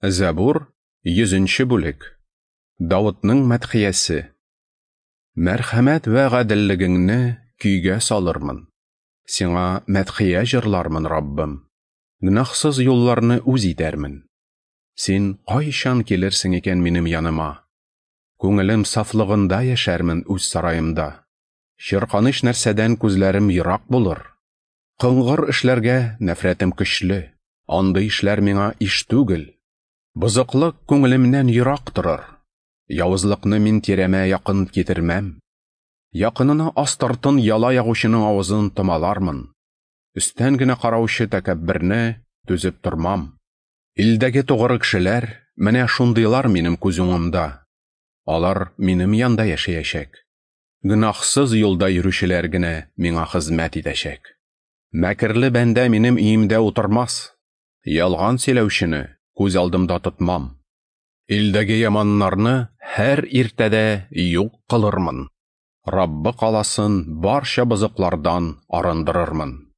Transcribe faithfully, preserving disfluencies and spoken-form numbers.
Зәбур, йөзенче бүлек. Давытның мәдхиясе. Мәрхәмәт вә гаделлегеңне көйгә салырмын. Сиңа мәдхия җырлармын, Раббым. Гөнаһсыз юлларны үз итәрмен. Син кайчан килерсең икән минем яныма? Күңелем сафлыгында яшәрмен үз сараемда. Чирканыч нәрсәдән күзләрем ерак булыр. Кыңгыр эшләргә нәфрәтем көчле. Андый эшләр миңа иш түгел. Бозыклык күңелемнән ерак торыр. Явызлыкны мин тирәмә якын китермәм. Якынына астыртын яла ягучының авызын томалармын. Өстән генә караучы тәкәбберне түзеп тормам. Илдәге тугры кешеләр менә шундыйлар минем күз уңымда. Алар минем янда яшәячәк. Гөнаһсыз юлда йөрүчеләр генә миңа хезмәт итәчәк. Мәкерле бәндә минем өемдә утырмас. Ялган сөйләүчене күз алдымда тотмам. Илдәге яманнарны һәр иртәдә юк кылырмын. Раббы каласын барча бозыклардан арындырырмын.